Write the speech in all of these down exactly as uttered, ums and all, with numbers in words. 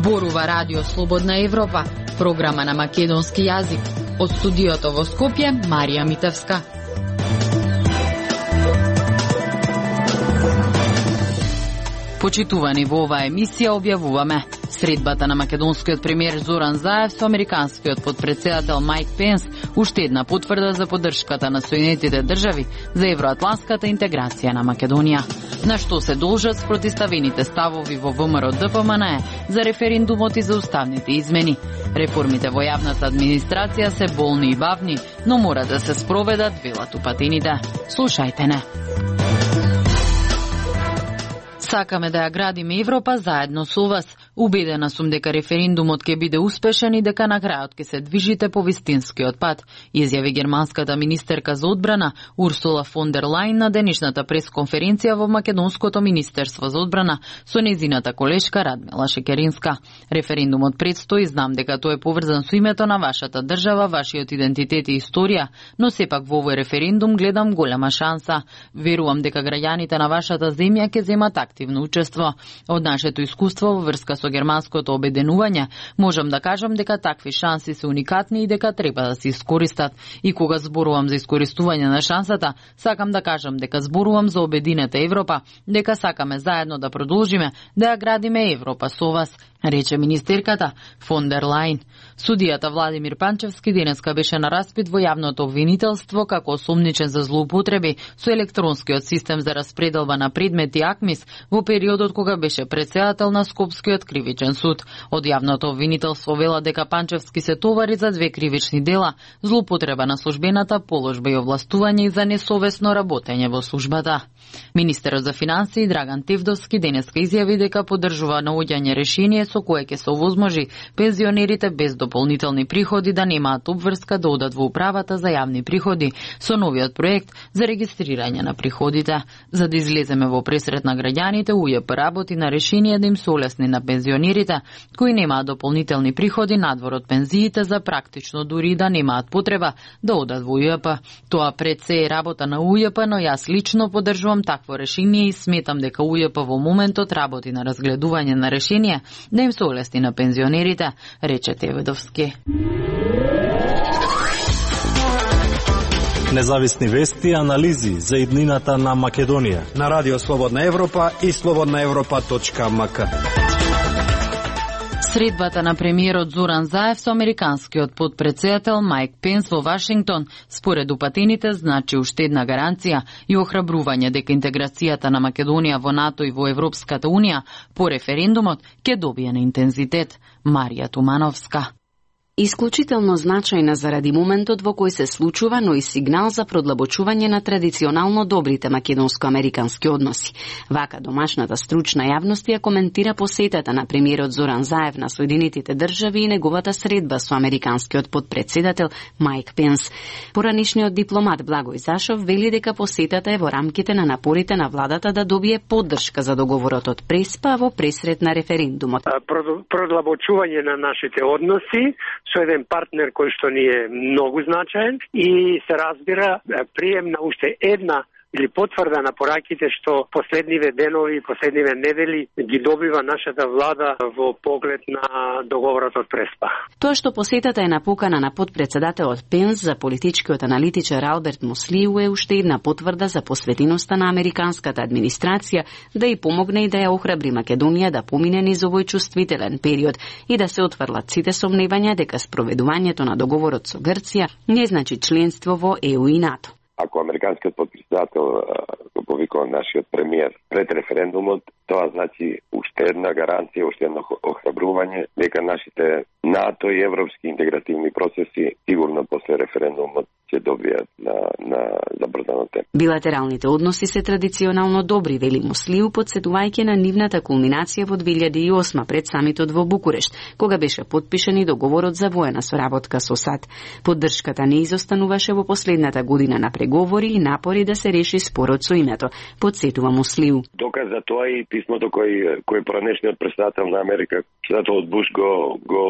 Зборува Радио Слободна Европа, програма на македонски јазик. Од студиото во Скопје, Марија Митевска. Почитувани во оваа емисија објавуваме средбата на македонскиот премиер Зоран Заев со американскиот подпредседател Мајк Пенс уште една потврда за поддршката на Соединетите држави за евроатлантската интеграција на Македонија. На што се должат спротиставените ставови во ВМРО Д П М Н Е за референдумот и за уставните измени. Реформите во јавната администрација се болни и бавни, но мора да се спроведат, велат упатените. Слушајте не. Сакаме да ја градиме Европа заедно со вас. Убедена сум дека референдумот ќе биде успешен и дека на крајот ќе се движите по вистинскиот пат, изјави германската министерка за одбрана Урсула фон дер Лајн на денешната пресконференција во Македонското министерство за одбрана со незината колешка Радмила Шекеринска. Референдумот предстои, знам дека тој е поврзан со името на вашата држава, вашиот идентитет и историја, но сепак во овој референдум гледам голема шанса. Верувам дека граѓаните на вашата земја ќе земат активно учество. Од нашето искуство во врска со германското обединување, можам да кажам дека такви шанси се уникатни и дека треба да се искористат. И кога зборувам за искористување на шансата, сакам да кажам дека зборувам за обединета Европа, дека сакаме заедно да продолжиме да ја градиме Европа со вас, рече министерката фон дер Лајн. Судијата Владимир Панчевски денеска беше на распит во јавното обвинителство како осомничен за злоупотреби со електронскиот систем за распределба на предмети АКМИС во периодот кога беше председател на Скопскиот кривичен суд. Од јавното обвинителство вела дека Панчевски се товари за две кривични дела: злоупотреба на службената положба и овластување и за несовесно работење во службата. Министерот за финансии Драган Тевдовски денеска изјави дека поддржува наоѓање решение со кое ќе се овозможи пензионерите без дополнителни приходи да немаат обврска да одат во управата за јавни приходи со новиот проект за регистрирање на приходите. За да излеземе во пресрет на граѓаните, У Ј П работи на решение да им се олесни на пензионерите кои немаат дополнителни приходи надвор од пензиите за практично дури да немаат потреба да одат во У Ј П. Тоа пред се е работа на У Ј П, но јас лично поддржувам такво решение и сметам дека У Ј П во моментот работи на разгледување на решение да им се олесни на пензионерите, рече Теведовски. Независни вести и анализи за иднината на Македонија на Радио Слободна Европа и слободна европа точка м к. Средбата на премиерот Зоран Заев со американскиот подпредседател Мајк Пенс во Вашингтон, според упатените, значи уште една гаранција и охрабрување дека интеграцијата на Македонија во НАТО и во Европската Унија по референдумот ќе добие на интензитет. Марија Тумановска. Исклучително значајна заради моментот во кој се случува, но и сигнал за продлабочување на традиционално добрите македонско-американски односи. Вака домашната стручна јавност ја коментира посетата на премиерот Зоран Заев на Соединетите држави и неговата средба со американскиот подпредседател Мајк Пенс. Поранишниот дипломат Благој Зашов вели дека посетата е во рамките на напорите на владата да добие поддршка за договорот од Преспа во пресрет на референдумот. Продлабочување на нашите односи со еден партнер кој што ни е многу значаен и се разбира прием на уште една или потврда на пораките што последниве денови, последниве недели ги добива нашата влада во поглед на договорот од Преспа. Тоа што посетата е напукана на подпредседателот Пенс за политичкиот аналитичар Алберт Муслиу е уште една потврда за посветеноста на американската администрација да и помогне и да ја охрабри Македонија да помине низ овој чувствителен период и да се отфрлат сите сомневања дека спроведувањето на договорот со Грција не значи членство во Е У и НАТО. Ако американскиот подпредседател го повикува нашиот премиер пред референдумот, тоа значи уште една гаранција, уште едно охрабрување дека нашите НАТО и европски интегративни процеси сигурно после референдумот ќе добијат на, на забрзано темп. Билатералните односи се традиционално добри, вели Муслиу, подсетувајќи на нивната кулминација во две илјади и осма пред самитот во Букурешт, кога беше подпишан и договорот за воена соработка со САД. Поддршката не изостануваше во последната година на преговори и напори да се реши спорот со името, подсетува Муслиу. Доказ за тоа и писмото кој кој поранешниот претседател на Америка, председателот Буш го го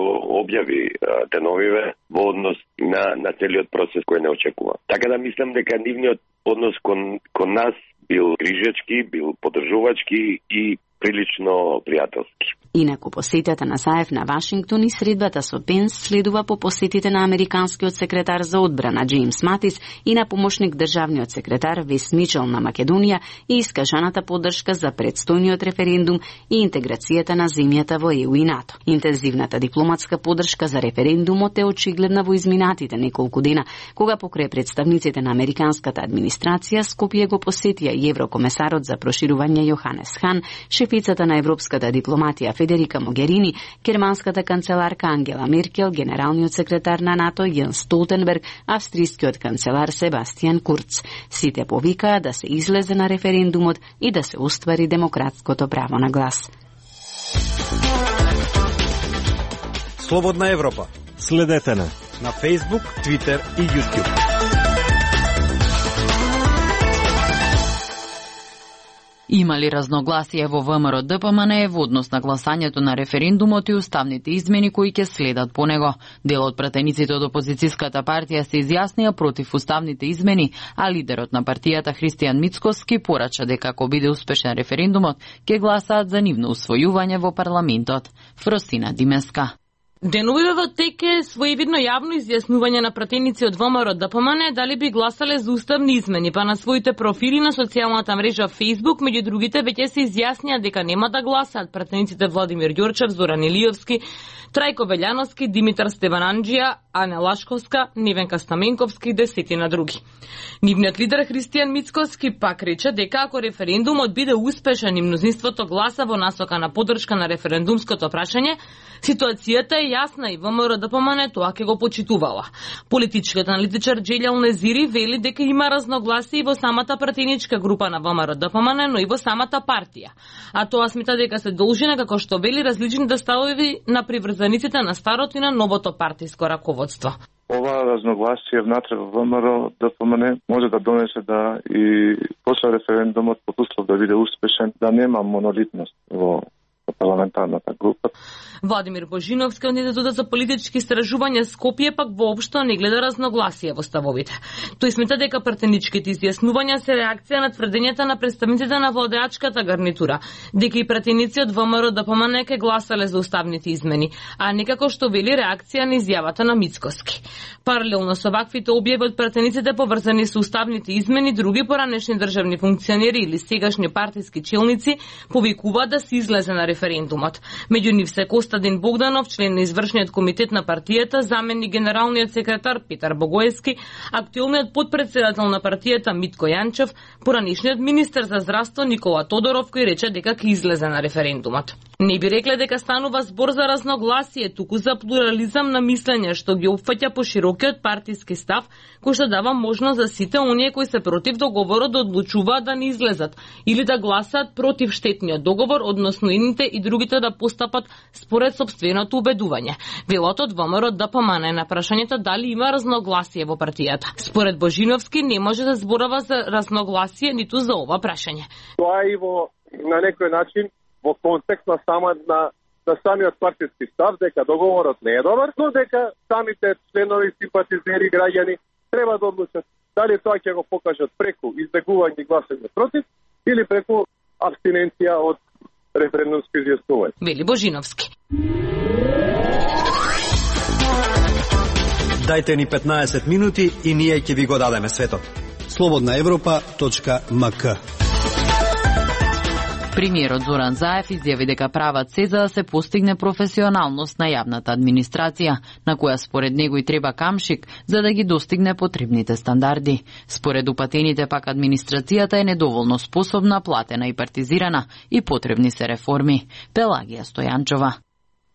објави деновиве во однос на на целиот процес кој не очекува. Така да мислам дека нивниот однос кон кон нас бил крижечки, бил поддржувачки и прилично пријателски. Инаку посетата на Заев на Вашингтон и средбата со Пенс следува по посетите на американскиот секретар за одбрана Джеймс Матис и на помошник државниот секретар Вес Мичел на Македонија и искажаната поддршка за предстојниот референдум и интеграцијата на земјата во Е У и НАТО. Интензивната дипломатска поддршка за референдумот е очигледна во изминатите неколку дена, кога покрај представниците на американската администрација Скопје го посетија и еврокомесарот за проширување Јоханес Хан, шефицата на европската дипломатија Федерика Могерини, германската канцеларка Ангела Меркел, генералниот секретар на НАТО Јенс Столтенберг, австријскиот канцелар Себастијан Курц. Сите повикаа да се излезе на референдумот и да се оствари демократското право на глас. Слободна Европа. Следете на на Facebook, Twitter и YouTube. Има ли разногласие во ВМРО Д П М Н во однос на гласањето на референдумот и уставните измени кои ќе следат по него? Дел од пратениците од опозицијската партија се изјаснија против уставните измени, а лидерот на партијата Христијан Мицкоски порача дека ако биде успешен референдумот, ќе гласаат за нивно усвојување во парламентот. Фросина Димеска. Деновиве во тек е своевидно јавно изјаснување на пратеници од ВМРО Д П М Н дали би гласале за уставни измени, па на своите профили на социјалната мрежа Facebook, меѓу другите, веќе се изјаснија дека нема да гласаат пратениците Владимир Ѓорчев, Зоран Илиевски, Трајко Велјановски, Димитар Стевананџија, Ана Лашковска, Невенка Стаменковски и десетина други. Нивниот лидер Христијан Мицкоски пак рече дека ако референдумот биде успешен и мнозинството гласа во насока на поддршка на референдумското прашање, ситуацијата е јасна и ВМРО Д П М Н тоа ќе го почитувала. Политичкиот аналитичар Џелјал Незири вели дека има разногласие и во самата пратеничка група на ВМРО Д П М Н, но и во самата партија. А тоа смета дека се должи на, како што вели, различните ставови на приврзаниците на старото и на новото партиско раководство. Ова разногласие внатре во ВМРО Д П М Н може да донесе да и после референдумот, под услов да биде успешен, да нема монолитност во парламентарната група. Владимир Божиновски од Институтот за политички истражувања Скопје пак воопшто не гледа разногласие во ставовите. Тој смета дека пратеничките изјаснувања се реакција на тврдењата на представниците на владеачката гарнитура, дека и пратеници од ВМРО Д П М Н ке гласале за уставните измени, а не како што вели реакција на изјавата на Мицкоски. Паралелно со ваквите објави од пратениците поврзани со уставните измени, други поранешни државни функционери или сегашни партиски челници повикуваат да се излезе на референдумот. Меѓу нив се Костадин Богданов, член на извршниот комитет на партијата, заменик генералниот секретар Петар Богоевски, актуелниот потпредседател на партијата Митко Јанчев, поранешниот министер за здравство Никола Тодоров, кој рече дека ќе излезе на референдумот. Не би рекле дека станува збор за разногласие, туку за плурализам на мислење што ги опфаќа поширокиот партиски став, кој што дава можност за сите оние кои се против договорот да одлучуваат да не излезат или да гласаат против штетниот договор, односно едните и другите да постапат според сопственото убедување. Велот од ВМРО Д П М Н на прашањето дали има разногласие во партијата. Според Божиновски не може да зборува за разногласие ниту за ова прашање. Тоа и во на некој начин во контекст на сама на на самиот партиски став дека договорот не е добар, но дека самите членови, симпатизери, граѓани треба да одлучат дали тоа ќе го покажат преку избегување и гласање против или преку абстиненција од референдумско изјаснување. Вели Божиновски. Дајте ни петнаесет минути и ние ќе ви го дадеме светот. слободна европа точка м к. Премиерот Зоран Заев изјави дека прават се за да се постигне професионалност на јавната администрација, на која според него и треба камшик за да ги достигне потребните стандарди. Според упатените пак администрацијата е недоволно способна, платена и партизирана и потребни се реформи. Пелагија Стојанчова.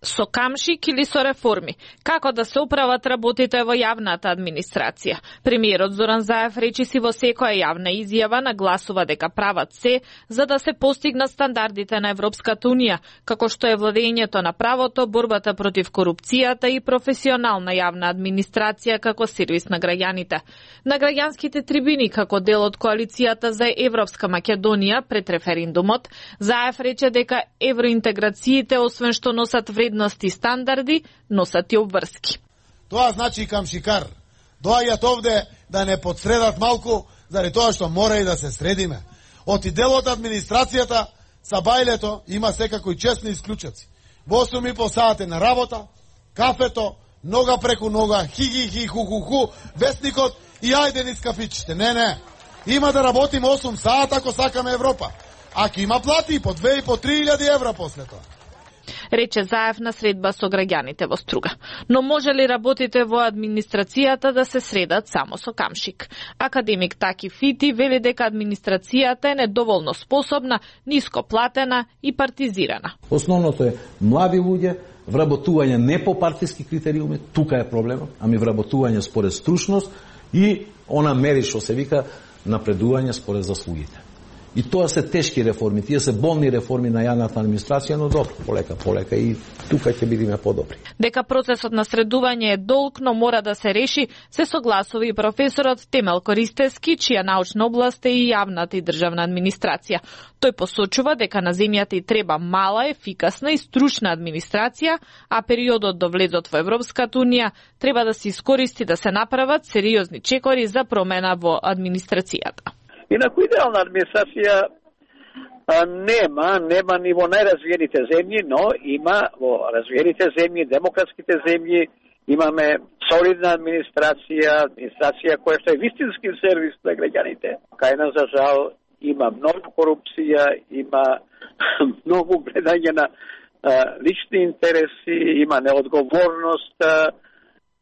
Со камшик или со реформи? Како да се управат работите во јавната администрација? Премиерот Зоран Заев речиси во секоја јавна изјава нагласува дека прават се за да се постигнат стандардите на Европската унија, како што е владењето на правото, борбата против корупцијата и професионална јавна администрација како сервис на граѓаните. На граѓанските трибини како дел од коалицијата за Европска Македонија пред референдумот, Заев рече дека евроинтеграциите освен што носат вредности и стандарди, носат и обврски. Тоа значи камшикар. Доаѓаат овде да не подсредат малку, заради тоа што мора и да се средиме. Од и дел од администрацијата са бајлето има секако и честни исклучаци. Во осум и по сати на работа, кафето, нога преку нога, хи-хи-хи, ху-ху-ху, вестникот и ајде низ кафичите. Не, не. Има да работиме осум сата ако сакаме Европа. Ако има плати и по две и по три илјади евра после тоа. Рече Заев на средба со граѓаните во Струга. Но може ли работите во администрацијата да се средат само со камшик? Академик Таки Фити вели дека администрацијата е недоволно способна, ниско платена и партизирана. Основното е млади луѓе, вработување не по партиски критериуми, тука е проблемот, ами вработување според стручност и она мери што се вика напредување според заслугите. И тоа се тешки реформи, тие се болни реформи на јавната администрација, но добро, полека, полека и тука ќе бидеме подобри. Дека процесот на средување е долг, но мора да се реши, се согласува и професорот Темел Користевски, чија научна област е и јавната и државна администрација. Тој посочува дека на земјата и треба мала, ефикасна и стручна администрација, а периодот до влезот во Европската унија треба да се искористи да се направат сериозни чекори за промена во администрацијата. Инаку идеална администрација а, нема, нема ни во најразвиените земји, но има во развиените земји, демократските земји, имаме солидна администрација, администрација која што е вистински сервис на граѓаните. Кај нас, за жал, има многу корупција, има многу гледање на а, лични интереси, има неодговорност. А,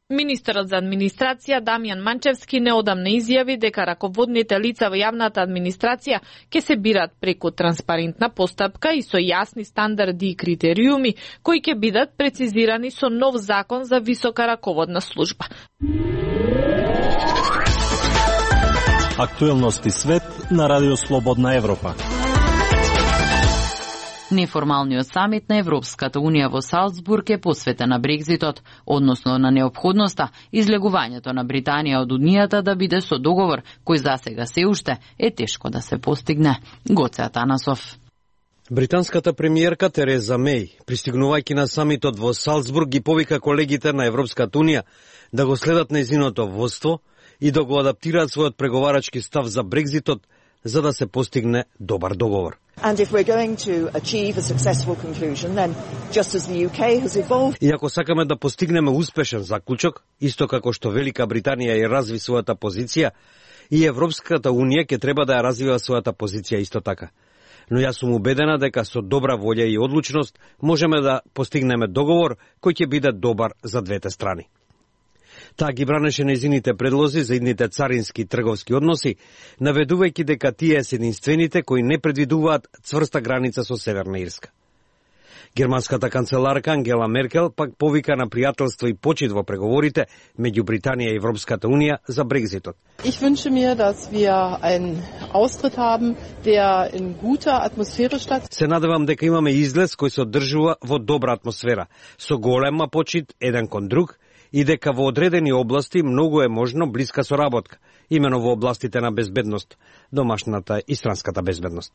Министерот за администрација Дамјан Манчевски неодамна изјави дека раководните лица во јавната администрација ќе се бират преку транспарентна постапка и со јасни стандарди и критериуми кои ќе бидат прецизирани со нов закон за висока раководна служба. Актуелности свет на Радио Слободна Европа. Неформалниот самит на Европската унија во Салцбург е посветен на Брекзитот, односно на неопходноста излегувањето на Британија од Унијата да биде со договор кој засега се уште е тешко да се постигне. Гоце Атанасов. Британската премиерка Тереза Меј, пристигнувајќи на самитот во Салцбург, ги повика колегите на Европската унија да го следат нејзиното водство и да го адаптираат својот преговарачки став за Брекзитот за да се постигне добар договор. And if we're going to achieve a successful conclusion, then just as the U K has evolved... И ако сакаме да постигнеме успешен заклучок, исто како што Велика Британија ја разви својата позиција, и Европската унија ќе треба да ја развива својата позиција исто така. Но јас сум убедена дека со добра волја и одлучност можеме да постигнеме договор кој ќе биде добар за двете страни. Таа ги бранеше нејзините предлози за идните царински и трговски односи, наведувајќи дека тие се единствените кои не предвидуваат цврста граница со Северна Ирска. Германската канцеларка Ангела Меркел пак повика на пријателство и почит во преговорите меѓу Британија и Европската унија за Брекзитот. Ich wünsche mir, dass wir einen Austritt haben, der in guter Atmosphäre statt. Се надевам дека имаме излез кој се одржува во добра атмосфера, со голема почит еден кон друг, и дека во одредени области многу е можно блиска соработка, имено во областите на безбедност, домашната и странската безбедност.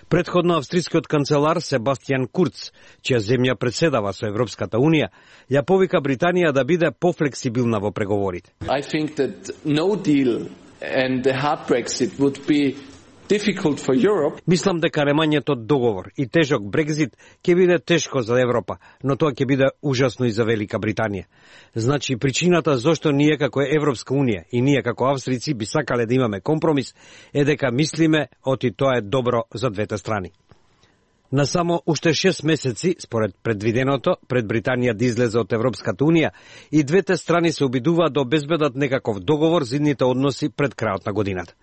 Предходно австрискиот канцелар Себастијан Курц, чија земја председава со Европската унија, ја повика Британија да биде пофлексибилна во преговорите. I think that no deal and the hard Brexit would be difficult for Europe. Мислам дека немањето договор и тежок Брекзит ќе биде тешко за Европа, но тоа ќе биде ужасно и за Велика Британија. Значи, причината зошто ние како Европска унија и ние како австрици би сакале да имаме компромис е дека мислиме оти тоа е добро за двете страни. На само уште шест месеци, според предвиденото, пред Британија да излезе од Европската унија, и двете страни се обидуваат да обезбедат некаков договор за идните односи пред крајот на годината.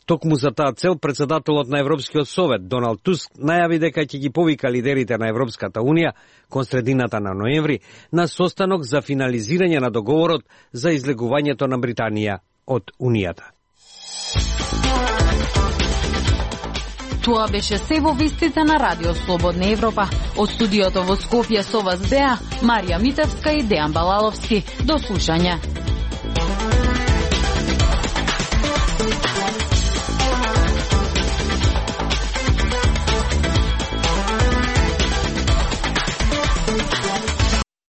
Токму за таа цел, председателот на Европскиот совет Доналд Туск најави дека ќе ги повика лидерите на Европската унија кон средината на ноември на состанок за финализирање на договорот за излегувањето на Британија од Унијата. Тоа беше се во вестите на Радио Слободна Европа. Од студиото во Скопје со вас беа Марија Митевска и Дејан Балаловски. До слушање.